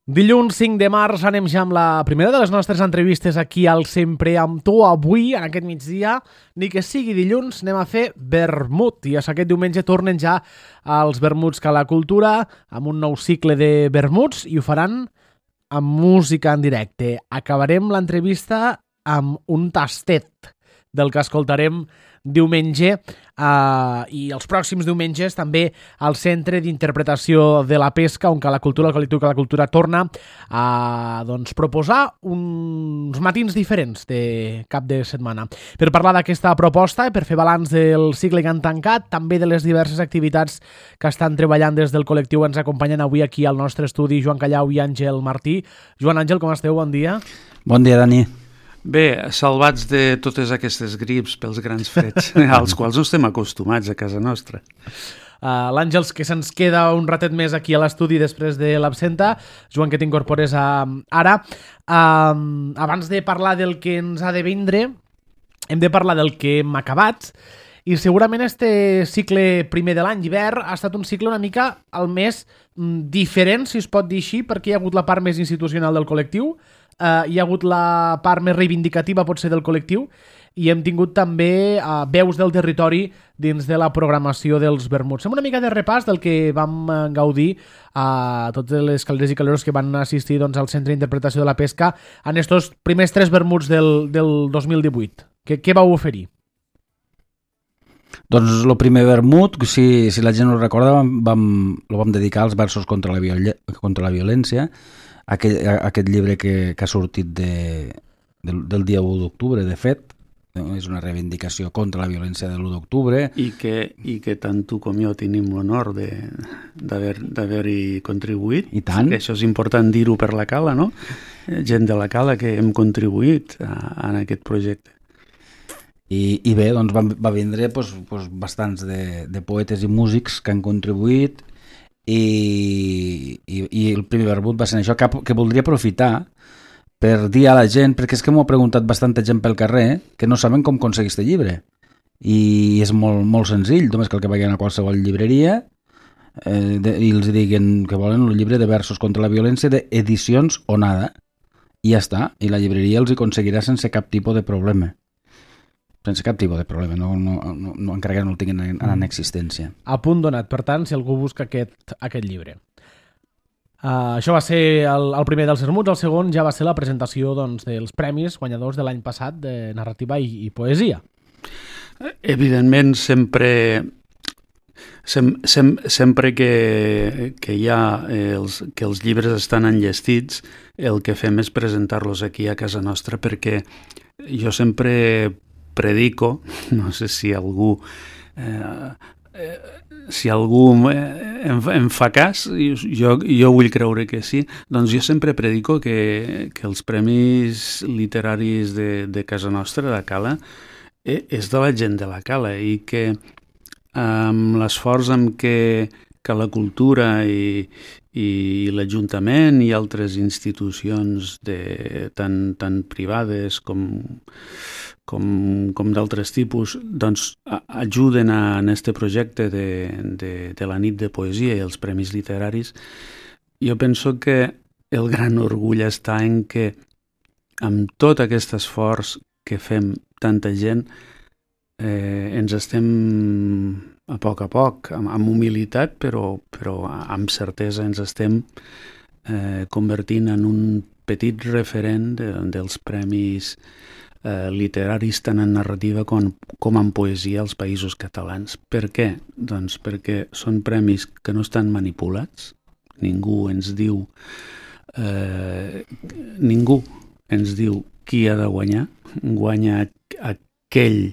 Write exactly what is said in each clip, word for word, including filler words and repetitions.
Dilluns cinc de març anem ja amb la primera de les nostres entrevistes aquí al Sempre amb tu. Avui, en aquest migdia, ni que sigui dilluns, anem a fer vermut. I aquest diumenge tornen ja els vermuts que a la cultura, amb un nou cicle de vermuts, i ho faran amb música en directe. Acabarem l'entrevista amb un tastet del que escoltarem diumenge uh, i els pròxims diumenges també al Centre d'Interpretació de la Pesca, on que la cultura, el col·lectiu que la cultura torna a doncs, proposar uns matins diferents de cap de setmana. Per parlar d'aquesta proposta i per fer balanç del cicle que han tancat, també de les diverses activitats que estan treballant des del col·lectiu, ens acompanyen avui aquí al nostre estudi Joan Callau i Àngel Martí. Joan, Àngel, com esteu? Bon dia. Bon dia, Dani. Bé, salvats de totes aquestes grips pels grans freds, als quals no estem acostumats a casa nostra. Uh, L'Àngels, que se'ns queda un ratet més aquí a l'estudi després de l'absenta. Joan, que t'incorpores a, ara. Uh, abans de parlar del que ens ha de vindre, hem de parlar del que hem acabat. I segurament este cicle primer de l'any, hivern, ha estat un cicle una mica el més mm, diferent, si es pot dir així, perquè hi ha hagut la part més institucional del col·lectiu, Uh, hi ha hagut la part més reivindicativa potser del col·lectiu i hem tingut també uh, veus del territori dins de la programació dels vermuts. Fem una mica de repàs del que vam uh, gaudir a uh, totes les calderes i calderos que van assistir doncs, al Centre d'Interpretació de la Pesca en estos primers tres vermuts del, del dos mil divuit. Què, què vau oferir? Doncs el primer vermut, si, si la gent ho recorda, vam, vam, lo vam dedicar als versos contra la, viol contra la violència, Aquell, aquest llibre que, que ha sortit de, del, del dia u d'octubre, de fet, és una reivindicació contra la violència de l'u d'octubre. I que, I que tant tu com jo tenim l'honor d'haver-hi contribuït. I tant. Això és important dir-ho per la Cala, no? Gent de la Cala que hem contribuït a, a aquest projecte. I, i bé, doncs va, va vindre doncs, doncs, bastants de, de poetes i músics que han contribuït. I, i, i el primer vermut va ser això, que, que voldria aprofitar per dir a la gent, perquè és que m'ho ha preguntat bastanta gent pel carrer, que no saben com aconseguir aquest llibre. I és molt, molt senzill, només cal que vagin a qualsevol llibreria eh, de, i els diguen que volen el llibre de versos contra la violència d'edicions Onada. I ja està, i la llibreria els hi aconseguirà sense cap tipus de problema. Sense cap tipus de problema, no, no, no, no, encara que no el tinguin en, en existència. A punt donat, per tant, si algú busca aquest, aquest llibre. Uh, això va ser el, el primer dels vermuts, el segon ja va ser la presentació doncs, dels premis guanyadors de l'any passat de narrativa i, i poesia. Evidentment, sempre, sem, sem, sempre que, que, hi ha els, que els llibres estan enllestits, el que fem és presentar-los aquí a casa nostra, perquè jo sempre predico, no sé si algú eh, eh, si algú em, em fa cas, jo, jo vull creure que sí, doncs jo sempre predico que, que els premis literaris de, de casa nostra, de Cala, eh, és de la gent de la Cala i que amb l'esforç amb què que la cultura i, i l'Ajuntament i altres institucions de, tan, tan privades com, com, com d'altres tipus doncs, a, ajuden a, en este projecte de, de, de la nit de poesia i els premis literaris. Jo penso que el gran orgull està en que amb tot aquest esforç que fem tanta gent eh, ens estem a poc a poc, amb, amb humilitat, però, però amb certesa ens estem eh, convertint en un petit referent de, dels premis eh, literaris tant en narrativa com, com en poesia als països catalans. Per què? Doncs perquè són premis que no estan manipulats, ningú ens diu eh, ningú ens diu qui ha de guanyar, guanya aquell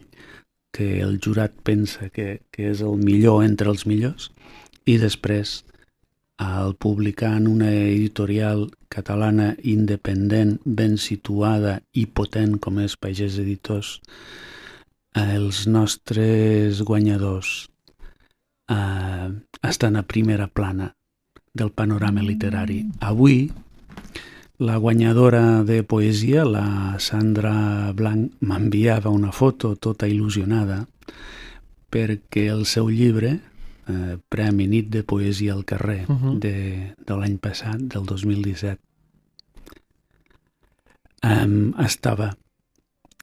que el jurat pensa que, que és el millor entre els millors i després al publicar en una editorial catalana independent, ben situada i potent com és Pagès Editors, els nostres guanyadors eh, estan a primera plana del panorama literari. Avui la guanyadora de poesia, la Sandra Blanc, m'enviava una foto tota il·lusionada perquè el seu llibre eh, Premi Nit de Poesia al Carrer Uh -huh. de, de l'any passat, del dos mil disset. Um, estava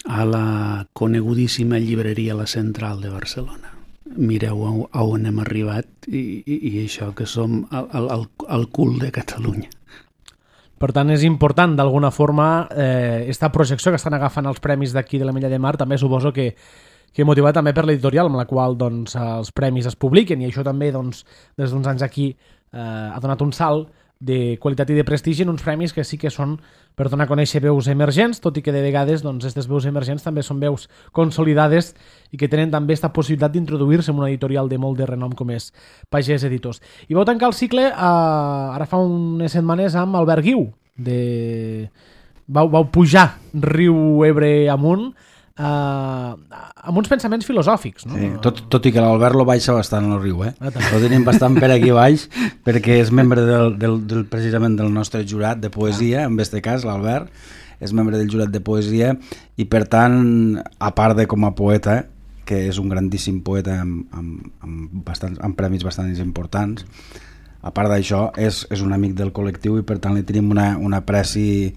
a la conegudíssima llibreria La Central de Barcelona. Mireu a, a on hem arribat i, i, i això que som al, al, al cul de Catalunya. Per tant, és important, d'alguna forma, eh, esta projecció que estan agafant els premis d'aquí de l'Ametlla de Mar, també suposo que, que motivat també per l'editorial amb la qual doncs, els premis es publiquen, i això també doncs, des d'uns anys aquí eh, ha donat un salt de qualitat i de prestigi en uns premis que sí que són per donar a conèixer veus emergents, tot i que de vegades doncs, aquestes veus emergents també són veus consolidades i que tenen també aquesta possibilitat d'introduir-se en una editorial de molt de renom com és Pagès Editors. I vau tancar el cicle eh, ara fa unes setmanes amb Albert Guiu. De... Vau, vau pujar riu Ebre amunt eh, amb uns pensaments filosòfics, no? Sí, tot, tot i que l'Albert lo baixa bastant al riu, eh? Ah, Lo tenim bastant per aquí baix, perquè és membre del, del, del, precisament del nostre jurat de poesia, en aquest cas l'Albert és membre del jurat de poesia i per tant, a part de com a poeta, que és un grandíssim poeta amb, amb, amb, bastants, amb premis bastant importants, a part d'això és, és un amic del col·lectiu i per tant li tenim una, una apreci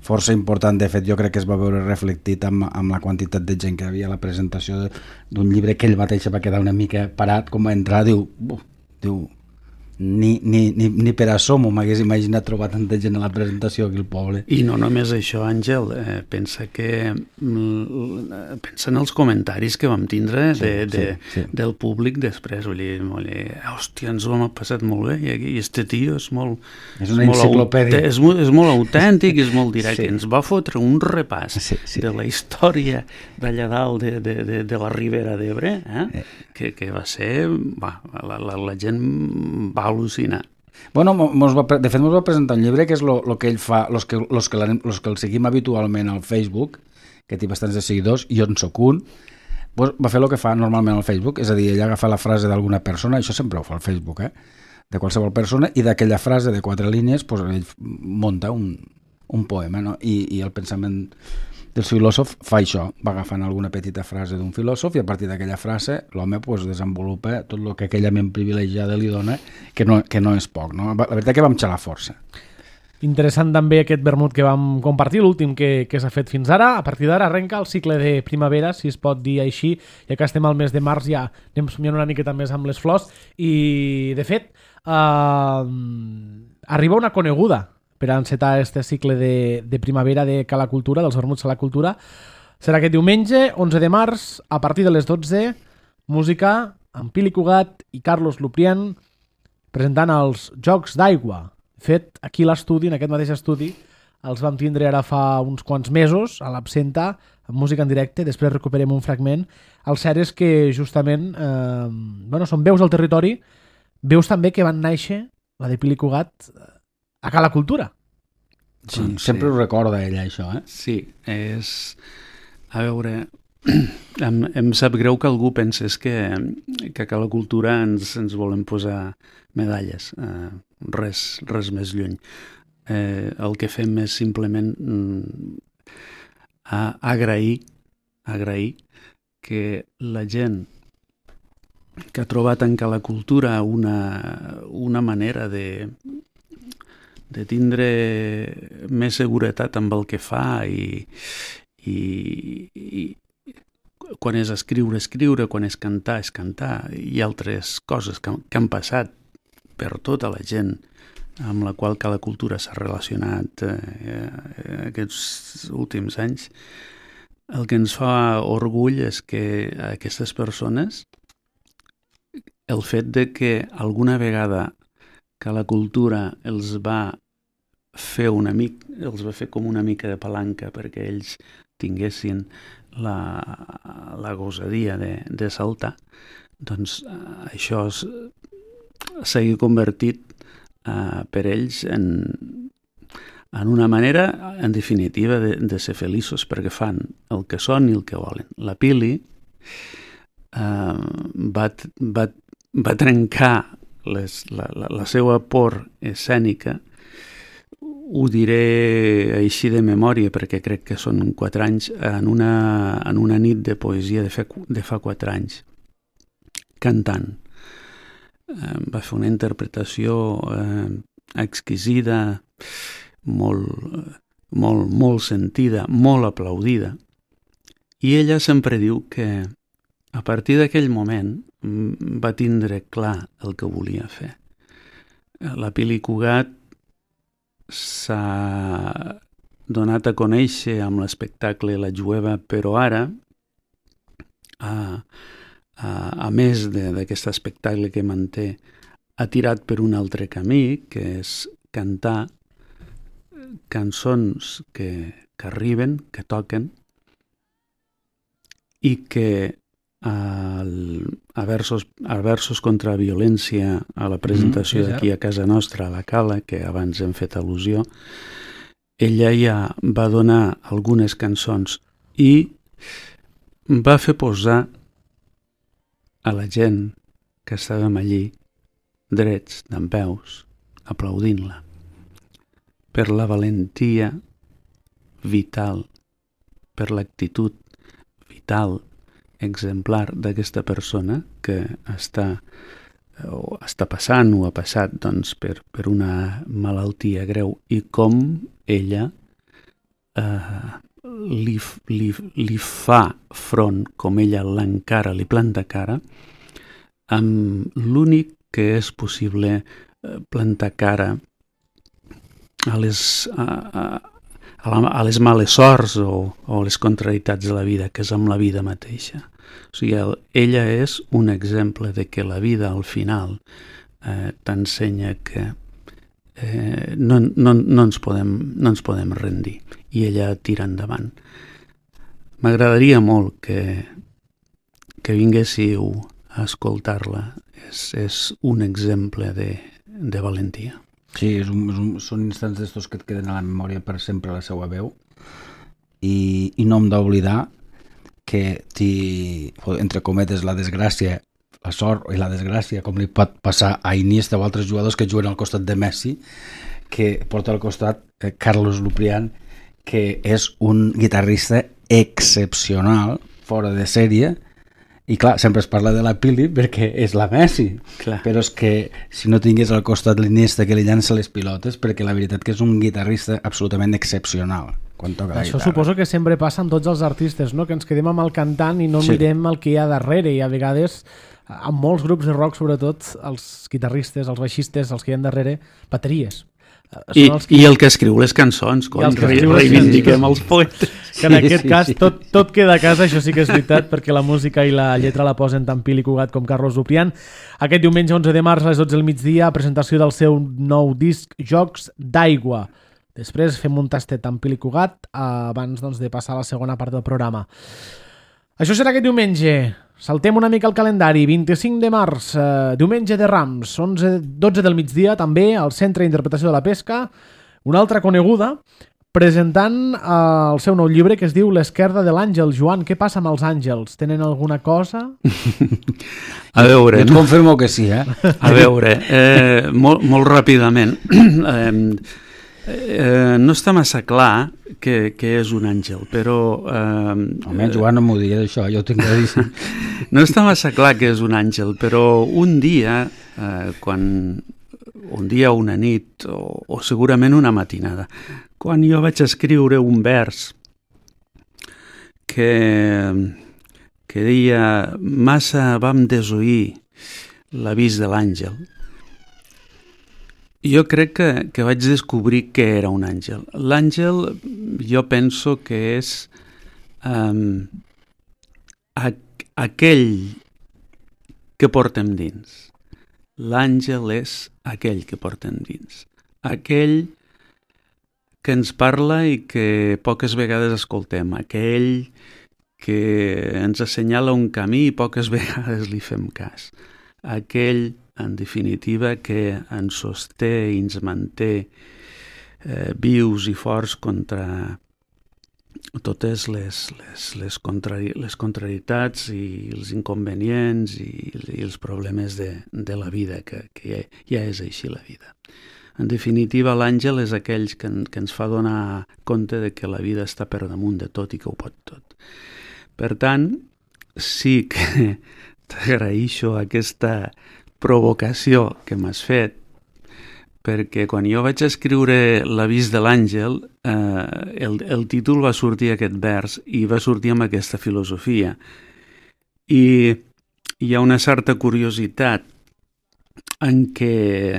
força important. De fet, jo crec que es va veure reflectit amb, amb la quantitat de gent que hi havia a la presentació d'un llibre que ell mateix va quedar una mica parat, com va entrar, diu, diu ni, ni, ni, ni per assomo m'hagués imaginat trobar tanta gent a la presentació aquí al poble. I no només això, Àngel, eh, pensa que mm, pensa en els comentaris que vam tindre de, sí, de, sí, sí. del públic després, vull dir, vull dir, hòstia, ens ho hem passat molt bé i, aquí, i este tio és molt és una enciclopèdia, és, molt, és molt autèntic, és molt directe, sí. Ens va fotre un repàs sí, sí. de la història d'allà dalt de, de, de, de la Ribera d'Ebre, eh? eh. que, que va ser, va, la, la, la gent va al·lucinar. Bueno, mos va, de fet, ens va presentar un llibre que és el que ell fa, los que, los que, los que el seguim habitualment al Facebook, que té bastants de seguidors, i jo en soc un, pues va fer el que fa normalment al Facebook, és a dir, ell agafa la frase d'alguna persona, això sempre ho fa al Facebook, eh? de qualsevol persona, i d'aquella frase de quatre línies pues, ell munta un, un poema, no? I, i el pensament del filòsof fa això, va agafant alguna petita frase d'un filòsof i a partir d'aquella frase l'home pues, desenvolupa tot el que aquella ment privilegiada li dona, que no, que no és poc. No? La veritat que vam xalar força. Interessant també aquest vermut que vam compartir, l'últim que, que s'ha fet fins ara. A partir d'ara arrenca el cicle de primavera, si es pot dir així, ja que estem al mes de març ja anem somiant una miqueta més amb les flors i de fet eh, arriba una coneguda per encetar este cicle de, de primavera de Cala Cultura, dels vermuts a la cultura. Serà aquest diumenge, onze de març, a partir de les dotze, música amb Pili Cugat i Carlos Luprián presentant els Jocs d'Aigua. Fet aquí a l'estudi, en aquest mateix estudi, els vam tindre ara fa uns quants mesos, a l'Absenta, amb música en directe, després recuperem un fragment. El cert és que justament eh, bueno, són veus al territori, veus també que van néixer, la de Pili Cugat, a Cala Cultura. Sí, doncs, sempre sí. Ho recorda ella, això, eh? Sí, és... A veure, em, em sap greu que algú pensés que, que a Cala Cultura ens, ens volem posar medalles. Eh, res, res més lluny. Eh, el que fem és simplement mm, a, agrair, agrair que la gent que ha trobat en Cala Cultura una, una manera de... de tindre més seguretat amb el que fa i, i, i quan és escriure, escriure, quan és cantar, és cantar, i altres coses que, que han passat per tota la gent amb la qual Cala Cultura s'ha relacionat eh, aquests últims anys. El que ens fa orgull és que aquestes persones, el fet de que alguna vegada Cala Cultura els va fer una mica, els va fer com una mica de palanca perquè ells tinguessin la, la gosadia de, de saltar, doncs eh, això s'ha convertit eh, per ells en, en una manera, en definitiva, de, de ser feliços perquè fan el que són i el que volen. La Pili eh, va, va, va trencar Les, la, la, la seva por escènica, ho diré així de memòria perquè crec que són quatre anys, en una, en una nit de poesia de fa, de fa quatre anys, cantant. eh, va fer una interpretació eh, exquisida, molt, molt, molt sentida, molt aplaudida. I ella sempre diu que a partir d'aquell moment va tindre clar el que volia fer. La Pili Cugat s'ha donat a conèixer amb l'espectacle La Jueva, però ara, a, a, a més d'aquest espectacle que manté, ha tirat per un altre camí, que és cantar cançons que, que arriben, que toquen, i que al, a, versos, a versos contra violència, a la presentació mm, sí, d'aquí a casa nostra, a la Cala, que abans hem fet al·lusió, ella ja va donar algunes cançons i va fer posar a la gent que estàvem allí drets, dempeus, aplaudint-la per la valentia vital, per l'actitud vital, exemplar d'aquesta persona que està, o està passant o ha passat doncs, per, per una malaltia greu i com ella eh, li, li, li fa front, com ella l'encara, li planta cara, amb l'únic que és possible eh, plantar cara a les, a, a, a, la, a les males sorts o, o les contrarietats de la vida, que és amb la vida mateixa. O sigui, el, ella és un exemple de que la vida al final eh, t'ensenya que eh, no, no, no, ens podem, no ens podem rendir i ella tira endavant. M'agradaria molt que, que vinguéssiu a escoltar-la. És, és un exemple de, de valentia. Sí, és un, és un, són instants d'estos que et queden a la memòria per sempre la seva veu i, i no hem d'oblidar que ti, entre cometes, la desgràcia, la sort i la desgràcia, com li pot passar a Iniesta o altres jugadors que juguen al costat de Messi, que porta al costat eh, Carlos Luprián, que és un guitarrista excepcional, fora de sèrie, i clar, sempre es parla de la Pili perquè és la Messi, clar. Però és que si no tingués al costat l'Iniesta que li llança les pilotes, perquè la veritat que és un guitarrista absolutament excepcional quan toca la Això guitarra. Suposo que sempre passa amb tots els artistes, no? Que ens quedem amb el cantant i no sí. mirem el que hi ha darrere, i a vegades en molts grups de rock, sobretot els guitarristes, els baixistes, els que hi ha darrere, bateries. I, que... I el que escriu les cançons, coi, que re, reivindiquem els poetes. Que en aquest sí, cas sí. Tot, tot queda a casa, això sí que és veritat, perquè la música i la lletra la posen tant Pili Cugat com Carlos Luprián. Aquest diumenge onze de març a les dotze del migdia, presentació del seu nou disc Jocs d'aigua. Després fem un tastet amb Pili Cugat abans doncs, de passar a la segona part del programa. Això serà aquest diumenge. Saltem una mica el calendari. vint-i-cinc de març, eh, diumenge de Rams, onze, dotze del migdia, també al Centre d'Interpretació de la Pesca, una altra coneguda, presentant eh, el seu nou llibre que es diu L'esquerda de l'àngel. Joan, què passa amb els àngels? Tenen alguna cosa? A veure... Jo et confirmo que sí, eh? A veure, eh, molt, molt ràpidament... eh, Eh, no està massa clar que, que és un àngel, però... Eh, Almenys Joan no m'ho diria d'això, jo ho tinc claríssim. No està massa clar que és un àngel, però un dia, eh, quan un dia o una nit, o, o segurament una matinada, quan jo vaig escriure un vers que, que deia «Massa vam desoir l'avís de l'àngel», jo crec que, que vaig descobrir què era un àngel. L'àngel jo penso que és um, aqu- aquell que portem dins. L'àngel és aquell que portem dins. Aquell que ens parla i que poques vegades escoltem. Aquell que ens assenyala un camí i poques vegades li fem cas. Aquell, en definitiva, que ens sosté i ens manté eh, vius i forts contra totes les, les, les, contrari, les contrarietats i els inconvenients i, i els problemes de, de la vida, que, que ja, ja és així la vida. En definitiva, l'àngel és aquell que, que ens fa donar compte de que la vida està per damunt de tot i que ho pot tot. Per tant, sí que t'agraeixo aquesta provocació que m'has fet, perquè quan jo vaig escriure L'avís de l'àngel, eh, el, el títol va sortir aquest vers i va sortir amb aquesta filosofia. I hi ha una certa curiositat en què,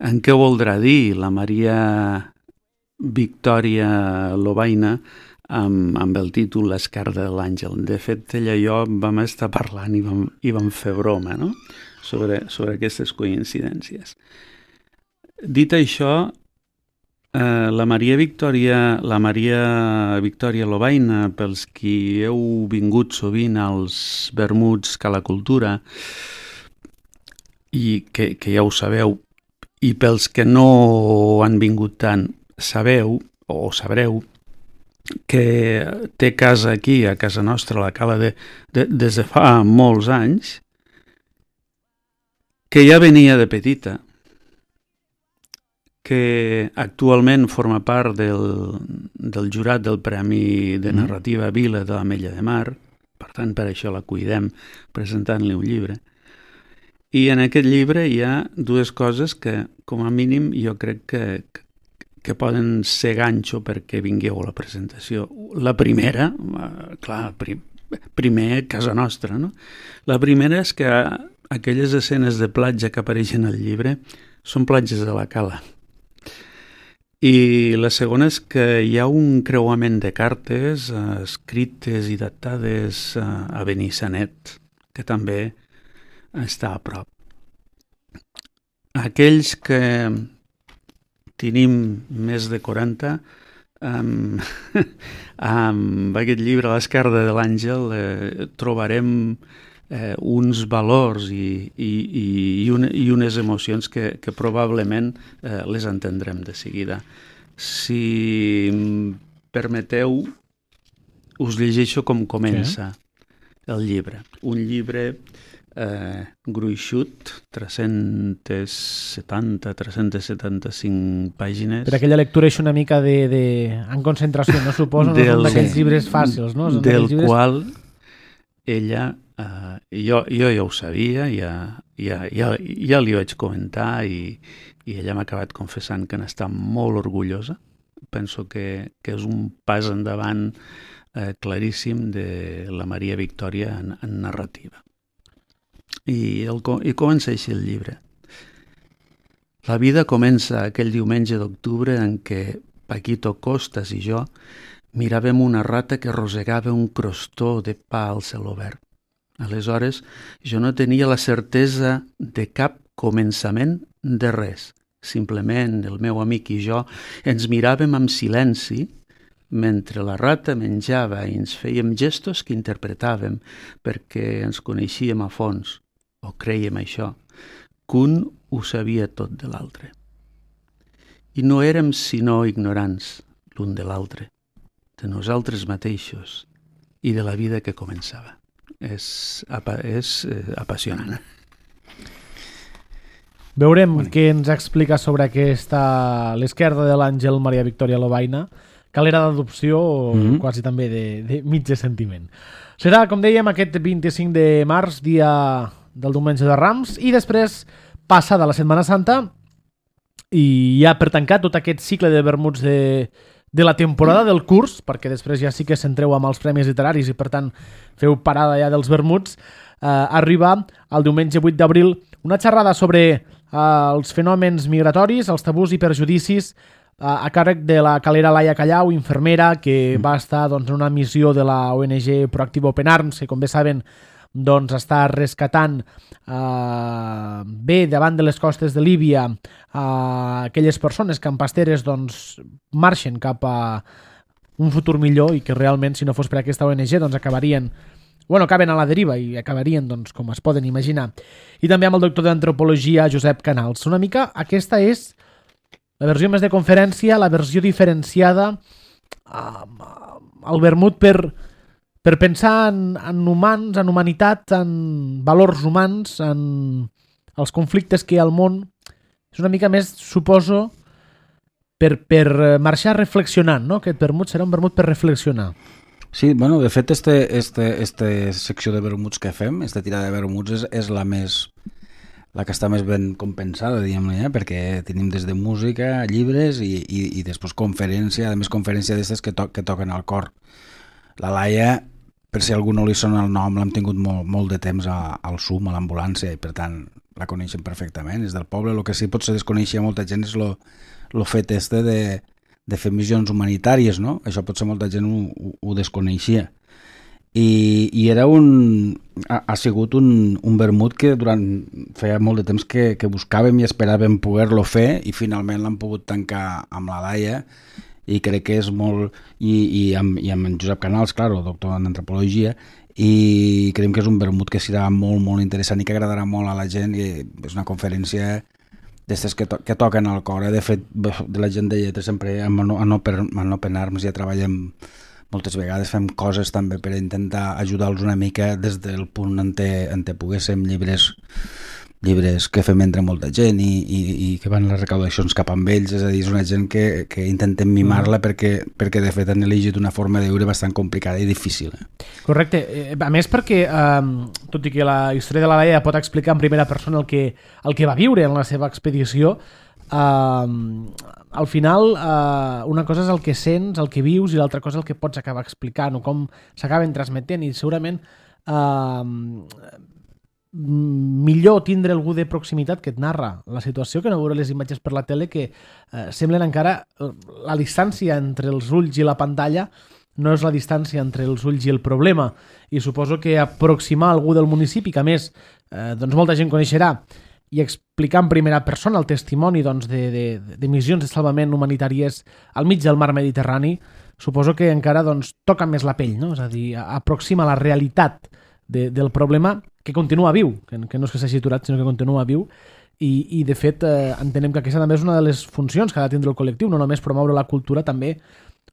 en què voldrà dir la Maria Victòria Lobaina amb, amb el títol L'esquerda de l'àngel. De fet, ella i jo vam estar parlant i vam, i vam fer broma, no? sobre, sobre aquestes coincidències. Dit això, eh, la Maria Victòria, la Maria Victòria Lobaina, pels qui heu vingut sovint als vermuts Cala Cultura, i que, que ja ho sabeu, i pels que no han vingut tant, sabeu o sabreu que té casa aquí, a casa nostra, a la Cala, de, de, des de fa molts anys, que ja venia de petita, que actualment forma part del, del jurat del Premi de Narrativa Vila de l'Ametlla de Mar, per tant, per això la cuidem presentant-li un llibre. I en aquest llibre hi ha dues coses que, com a mínim, jo crec que, que poden ser ganxo perquè vingueu a la presentació. La primera, clar, prim, primer casa nostra, no? La primera és que aquelles escenes de platja que apareixen al llibre són platges de la Cala. I la segona és que hi ha un creuament de cartes eh, escrites i datades eh, a Benissanet, que també està a prop. Aquells que tenim més de quaranta, amb, amb aquest llibre a l'esquerda de l'àngel eh, trobarem eh, uns valors i, i, i, una, i unes emocions que, que probablement eh, les entendrem de seguida. Si permeteu, us llegeixo com comença sí. el llibre. Un llibre eh, gruixut, tres-cents setanta a tres-cents setanta-cinc pàgines. Per aquella lectura és una mica de, de... en concentració, no suposo? No són d'aquells llibres fàcils, no? Són del llibres... qual ella, eh, jo, jo ja ho sabia, ja, ja, ja, ja li vaig comentar i, i ella m'ha acabat confessant que n'està molt orgullosa. Penso que, que és un pas endavant eh, claríssim de la Maria Victòria en, en narrativa. I, el, I comença així el llibre. La vida comença aquell diumenge d'octubre en què Paquito Costas i jo miràvem una rata que rosegava un crostó de pa al cel obert. Aleshores, jo no tenia la certesa de cap començament de res. Simplement el meu amic i jo ens miràvem amb silenci mentre la rata menjava i ens fèiem gestos que interpretàvem perquè ens coneixíem a fons, o crèiem això, que un ho sabia tot de l'altre. I no érem sinó ignorants l'un de l'altre, de nosaltres mateixos i de la vida que començava. És, és eh, apassionant. Veurem bueno. Què ens explica sobre aquesta l'esquerda de l'àngel Maria Victòria Lobaina, calera d'adopció o mm-hmm. quasi també de, de mitja sentiment. Serà, com dèiem, aquest vint-i-cinc de març, dia del diumenge de Rams, i després passada la Setmana Santa i ja per tancar tot aquest cicle de vermuts de, de la temporada del curs, perquè després ja sí que s'entreu amb els premis literaris i per tant feu parada ja dels vermuts, eh, arriba el diumenge vuit d'abril una xerrada sobre eh, els fenòmens migratoris, els tabús i perjudicis eh, a càrrec de la calera Laia Callau, infermera, que va estar doncs, en una missió de la O N G Proactive Open Arms, que com bé saben doncs està rescatant eh, bé davant de les costes de Líbia eh, aquelles persones que en pasteres doncs, marxen cap a un futur millor i que realment si no fos per aquesta O N G doncs acabarien bueno, acaben a la deriva i acabarien doncs, com es poden imaginar. I també amb el doctor d'Antropologia Josep Canals. Una mica aquesta és la versió més de conferència, la versió diferenciada eh, el vermut per per pensar en, en humans, en humanitat, en valors humans, en els conflictes que hi ha al món. És una mica més, suposo, per, per marxar reflexionant, no? Aquest vermut serà un vermut per reflexionar. Sí, bueno, de fet, este, este, este secció de vermuts que fem, esta tirada de vermuts, és, és la més la que està més ben compensada, diguem-ne, eh? Perquè tenim des de música, llibres i, i, i després conferència, a més conferència d'aquestes que, to que toquen al cor. La Laia, per si a algú no li sona el nom, l'hem tingut molt, molt de temps a, al S U M, a l'ambulància, i per tant la coneixen perfectament, és del poble. El que sí potser desconeixia molta gent és lo, lo fet este de, de fer missions humanitàries, no? Això potser molta gent ho, ho, ho desconeixia. I, i era un... Ha, ha sigut un, un vermut que durant feia molt de temps que, que buscàvem i esperàvem poder-lo fer i finalment l'hem pogut tancar amb la Laia i crec que és molt... I, i, amb, i amb en Josep Canals, clar, doctor en antropologia, i creiem que és un vermut que serà molt, molt interessant i que agradarà molt a la gent i és una conferència d'estes que, to que toquen al cor. Eh? De fet, de la gent de lletres sempre amb no, no, per, no Open Arms ja treballem moltes vegades, fem coses també per intentar ajudar-los una mica des del punt en què, en què poguéssim, llibres llibres que fem entre molta gent i, i, i que van les recaudacions cap amb ells, és a dir, és una gent que, que intentem mimar-la mm. perquè, perquè de fet han elegit una forma de viure bastant complicada i difícil. Eh? Correcte, a més perquè eh, tot i que la història de la Laia pot explicar en primera persona el que, el que va viure en la seva expedició, eh, al final eh, una cosa és el que sents, el que vius i l'altra cosa és el que pots acabar explicant o com s'acaben transmetent i segurament eh, millor tindre algú de proximitat que et narra la situació que no veure les imatges per la tele que eh, semblen encara la distància entre els ulls i la pantalla no és la distància entre els ulls i el problema i suposo que aproximar algú del municipi que a més eh, doncs molta gent coneixerà i explicar en primera persona el testimoni doncs, de, de, de missions de salvament humanitàries al mig del mar Mediterrani suposo que encara doncs, toca més la pell, no? És a dir, aproxima la realitat de, del problema que continua viu, que, que no és que s'hagi aturat, sinó que continua viu, i, i de fet eh, entenem que aquesta també és una de les funcions que ha de tindre el col·lectiu, no només promoure la cultura, també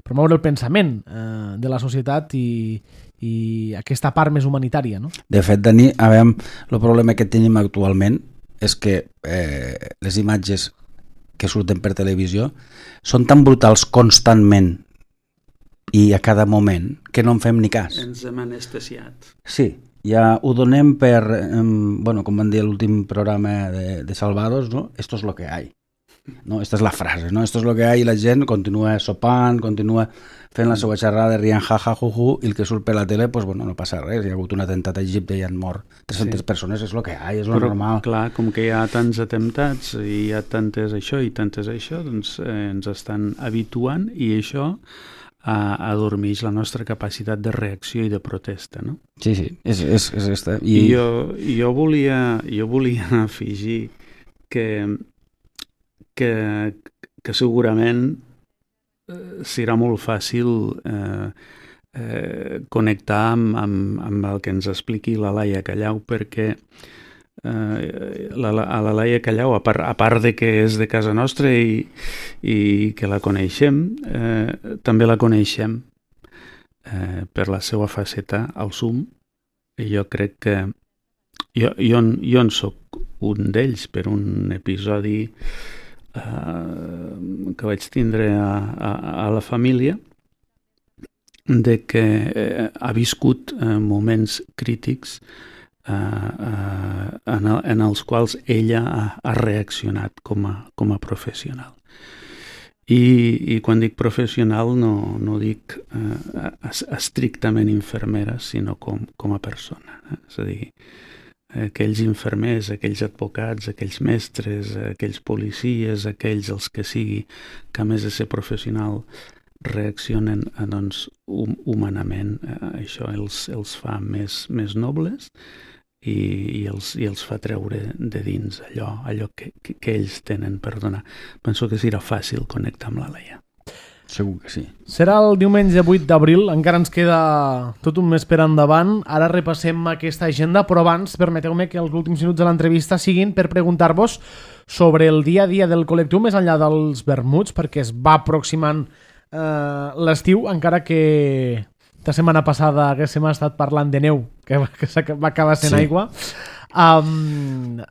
promoure el pensament eh, de la societat i, i aquesta part més humanitària. No? De fet, Dani, a veure, el problema que tenim actualment és que eh, les imatges que surten per televisió són tan brutals constantment i a cada moment que no en fem ni cas. Ens hem anestesiat. Sí, ja ho donem per, eh, bueno, com van dir a l'últim programa de, de Salvados, ¿no? Esto es lo que hay. No? Esta és la frase, no? Esto es lo que hay i la gent continua sopant, continua fent la seva xerrada, rient jaja, juju, i el que surt per la tele, pues, bueno, no passa res. Hi ha hagut un atemptat a Egipte i han mort tres-centes sí. persones, és lo que hay, és lo Però, normal. Clar, com que hi ha tants atemptats i hi ha tantes això i tantes això, doncs eh, ens estan habituant i això adormeix la nostra capacitat de reacció i de protesta, no? Sí, sí, és, és, és esta. I, I jo, jo, volia, jo volia afegir que, que, que segurament eh, serà molt fàcil eh, eh, connectar amb, amb, amb el que ens expliqui la Laia Callau, perquè Uh, la, la, a la Laia Callau, a part, a part de que és de casa nostra i, i que la coneixem, eh, també la coneixem eh, per la seva faceta al S U M i jo crec que jo, jo, jo en soc un d'ells per un episodi eh, que vaig tindre a, a, a la família de que eh, ha viscut eh, moments crítics Uh, uh, en, el, en els quals ella ha, ha reaccionat com a, com a professional. I, i quan dic professional no, no dic uh, estrictament infermera, sinó com, com a persona. Eh? És a dir, aquells infermers, aquells advocats, aquells mestres, aquells policies, aquells els que sigui, que a més de ser professional reaccionen eh, doncs, hum, humanament. Eh, això els, els fa més, més nobles i, i, els, i els fa treure de dins allò, allò que, que, que ells tenen per donar. Penso que serà fàcil connectar amb la Laia. Segur que sí. Serà el diumenge vuit d'abril, encara ens queda tot un mes per endavant. Ara repassem aquesta agenda, però abans permeteu-me que els últims minuts de l'entrevista siguin per preguntar-vos sobre el dia a dia del col·lectiu més enllà dels vermuts, perquè es va aproximant Uh, l'estiu, encara que la setmana passada haguéssim estat parlant de neu que, que va acabar sent sí. aigua. um,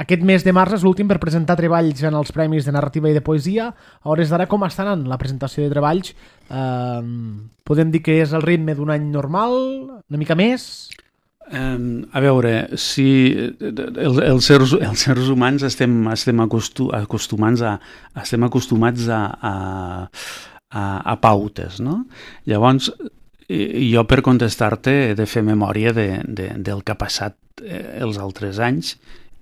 aquest mes de març és l'últim per presentar treballs en els Premis de Narrativa i de Poesia. A hores d'ara, com està anant la presentació de treballs? Um, podem dir que és el ritme d'un any normal? Una mica més? Um, a veure, si el, els, sers, els sers humans estem, estem, acostu, acostumats a, estem acostumats a, a, a, a pautes, no? Llavors, jo per contestar-te he de fer memòria de, de, del que ha passat els altres anys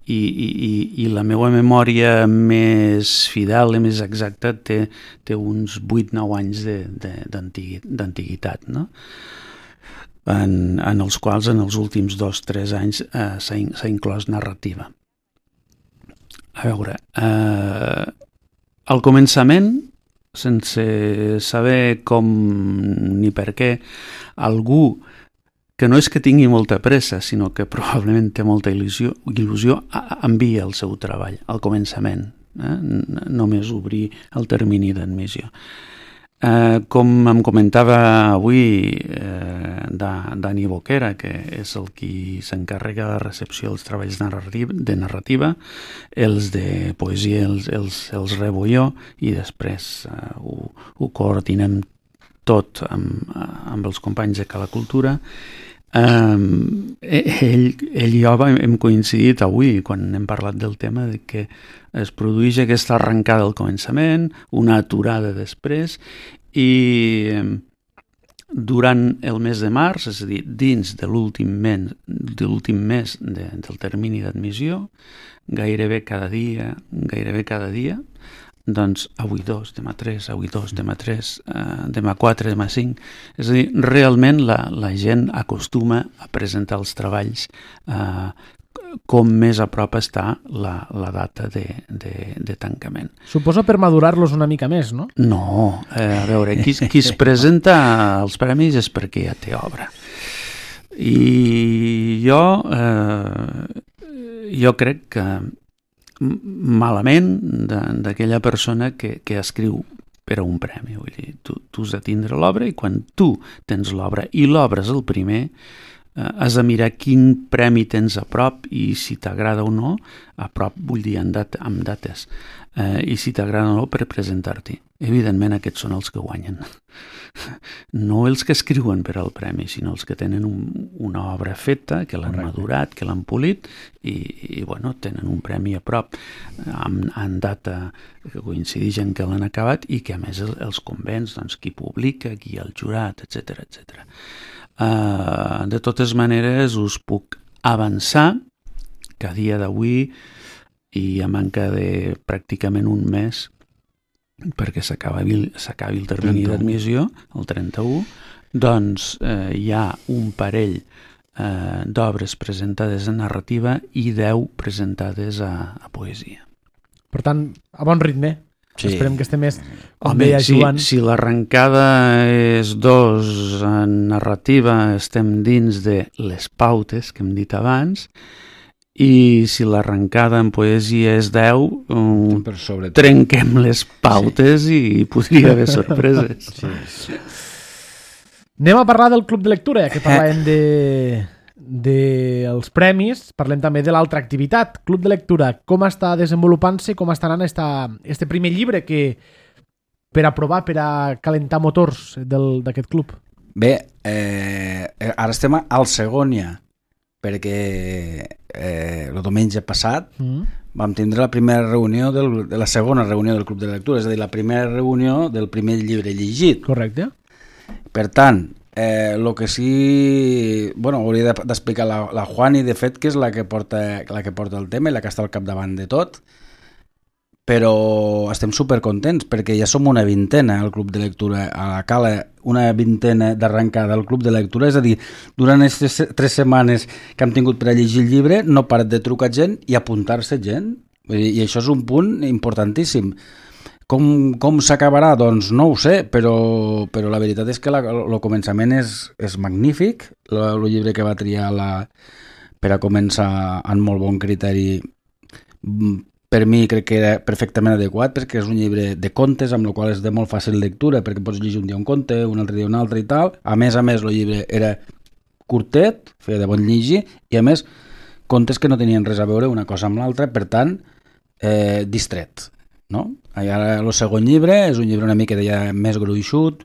i, i, i la meva memòria més fidel i més exacta té, té uns vuit nou anys d'antiguitat, no? En, en els quals en els últims dos o tres anys eh, s'ha, s'ha inclòs narrativa. A veure, eh, al començament, sense saber com ni per què, algú que no és que tingui molta pressa, sinó que probablement té molta il·lusió, il·lusió envia el seu treball al començament, eh? Només obrir el termini d'admissió. Eh, com em comentava avui eh, Dani Boquera, que és el qui s'encarrega de la recepció dels treballs narrativa, de narrativa, els de poesia els, els, els rebo jo i després eh, ho, ho coordinem tot amb, amb els companys de Cala Cultura. Um, ell, ell i jo hem coincidit avui quan hem parlat del tema de que es produeix aquesta arrencada al començament, una aturada després i durant el mes de març, és a dir, dins de l'últim mes, de l'últim mes de, del termini d'admissió, gairebé cada dia, gairebé cada dia, doncs avui dos, demà tres, avui dos, demà tres, eh, demà quatre, demà cinc. És a dir, realment la, la gent acostuma a presentar els treballs eh, com més a prop està la, la data de, de, de tancament. Suposo per madurar-los una mica més, no? No, eh, a veure, qui, qui es presenta als premis és perquè ja té obra. I jo, eh, jo crec que malament d'aquella persona que, que escriu per a un premi. Vull dir, tu, tu has de tindre l'obra i quan tu tens l'obra i l'obra és el primer, eh, has de mirar quin premi tens a prop i si t'agrada o no, a prop vull dir amb, dat amb dates, eh, i si t'agrada o no per presentar-t'hi. Evidentment aquests són els que guanyen. No els que escriuen per al premi, sinó els que tenen un, una obra feta, que l'han madurat, que l'han polit i, i bueno, tenen un premi a prop amb, amb data que coincideix en què l'han acabat i que a més el, els convenç, doncs, qui publica, qui el jurat, etcètera, etcètera. Uh, de totes maneres us puc avançar que a dia d'avui i a manca de pràcticament un mes perquè s'acabi el termini d'admissió, el trenta-u, doncs eh, hi ha un parell eh, d'obres presentades en narrativa i deu presentades a, a poesia. Per tant, a bon ritme. Sí. Esperem que estem més... Home, si, si l'arrencada és dos en narrativa, estem dins de les pautes que hem dit abans, i si l'arrencada en poesia és deu, um, trenquem les pautes sí. i podria haver sorpreses. Sí. Anem a parlar del Club de Lectura, ja que parlàvem de, de els premis, parlem també de l'altra activitat. Club de Lectura, com està desenvolupant-se, com està anant esta, este primer llibre que per aprovar, per a calentar motors d'aquest club? Bé, eh, ara estem al segon ja, perquè eh, el diumenge passat mm. vam tindre la primera reunió del, de la segona reunió del Club de Lectura, és a dir, la primera reunió del primer llibre llegit. Correcte. Per tant, eh, el que sí... Bueno, hauria d'explicar la, la Juani, de fet, que és la que, porta, la que porta el tema i la que està al capdavant de tot, però estem supercontents perquè ja som una vintena al Club de Lectura, a la Cala, una vintena d'arrencada al Club de Lectura, és a dir, durant aquestes tres setmanes que hem tingut per a llegir el llibre no parat de trucar gent i apuntar-se gent, i això és un punt importantíssim. Com, com s'acabarà? Doncs no ho sé, però, però la veritat és que el començament és, és magnífic, el llibre que va triar la, per a començar amb molt bon criteri. Per mi crec que era perfectament adequat perquè és un llibre de contes amb el qual és de molt fàcil lectura perquè pots llegir un dia un conte, un altre dia un altre i tal. A més a més el llibre era curtet, feia de bon llegir i a més contes que no tenien res a veure una cosa amb l'altra, per tant eh, distret, no? I ara el segon llibre és un llibre una mica ja més gruixut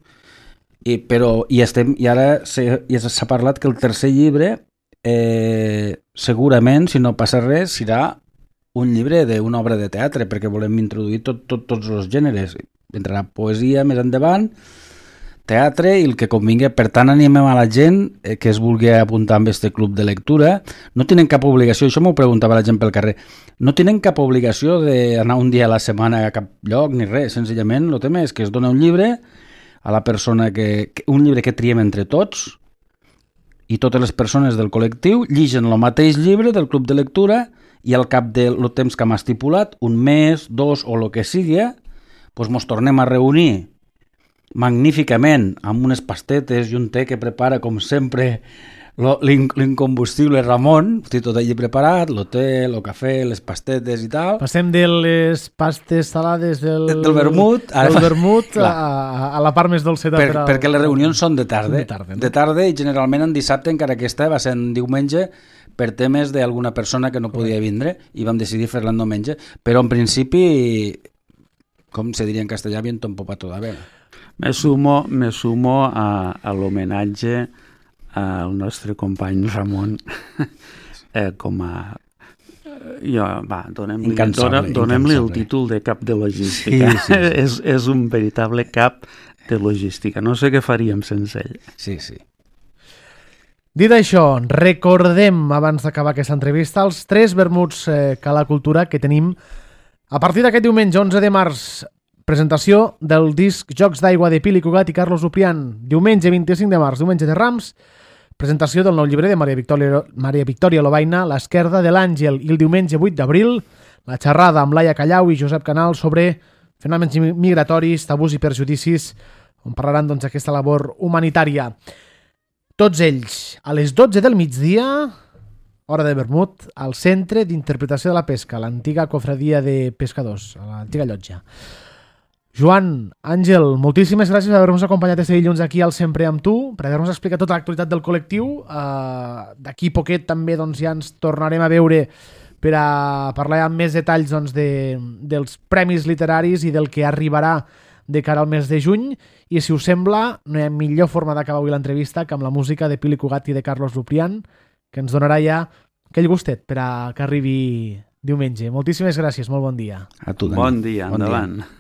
i, però, i, estem, i ara s'ha parlat que el tercer llibre eh, segurament, si no passa res, serà un llibre d'una obra de teatre, perquè volem introduir tot, tot, tots els gèneres. Entrarà poesia més endavant, teatre i el que convingui. Per tant, animem a la gent eh, que es vulgui apuntar amb este club de lectura. No tenen cap obligació, això m'ho preguntava la gent pel carrer, no tenen cap obligació d'anar un dia a la setmana a cap lloc ni res, senzillament el tema és que es dona un llibre a la persona que, que un llibre que triem entre tots, i totes les persones del col·lectiu lligen el mateix llibre del club de lectura i al cap del temps que hem estipulat, un mes, dos o el que sigui, doncs mos tornem a reunir magníficament amb unes pastetes i un té que prepara, com sempre, l'incombustible Ramon, té tot allí preparat, el té, el cafè, les pastetes i tal. Passem de les pastes salades del, del vermut, ara, del vermut a, a la part més dolceta. Per, per perquè les reunions són de tarda, de tarda, no? de tarda i generalment en dissabte, encara que aquesta va ser en diumenge, per temes d'alguna persona que no podia vindre i vam decidir fer-la en diumenge, però en principi, com se diria en castellà, viento en popa toda vela. Me sumo, me sumo a, a l'homenatge al nostre company Ramon eh, com a jo, va, donem-li donem, donem el títol de cap de logística. Sí, sí, sí. és, és un veritable cap de logística. No sé què faríem sense ell. Sí, sí. Dit això, recordem, abans d'acabar aquesta entrevista, els tres vermuts eh, Cala Cultura que tenim a partir d'aquest diumenge onze de març. Presentació del disc Jocs d'aigua de Pili Cugat i Carlos Uprián. Diumenge vint-i-cinc de març, diumenge de Rams. Presentació del nou llibre de Maria Victòria, Maria Victòria Lobaina, L'esquerda de l'Àngel. I el diumenge vuit d'abril, la xerrada amb Laia Callau i Josep Canal sobre fenòmens migratoris, tabús i perjudicis, on parlaran doncs, aquesta labor humanitària. Tots ells, a les dotze del migdia, hora de vermut, al Centre d'Interpretació de la Pesca, l'antiga cofradia de pescadors, a l'antiga llotja. Joan, Àngel, moltíssimes gràcies per haver-nos acompanyat este dilluns aquí al Sempre amb tu, per haver-nos explicat tota l'actualitat del col·lectiu. Uh, D'aquí poquet també doncs, ja ens tornarem a veure per a parlar amb més detalls doncs, de, dels premis literaris i del que arribarà de cara al mes de juny. I si us sembla, no hi ha millor forma d'acabar avui l'entrevista que amb la música de Pili Cugat i de Carlos Uprián, que ens donarà ja aquell gustet per a que arribi diumenge. Moltíssimes gràcies, molt bon dia. A tu, Dani. Bon dia, bon endavant. Dia.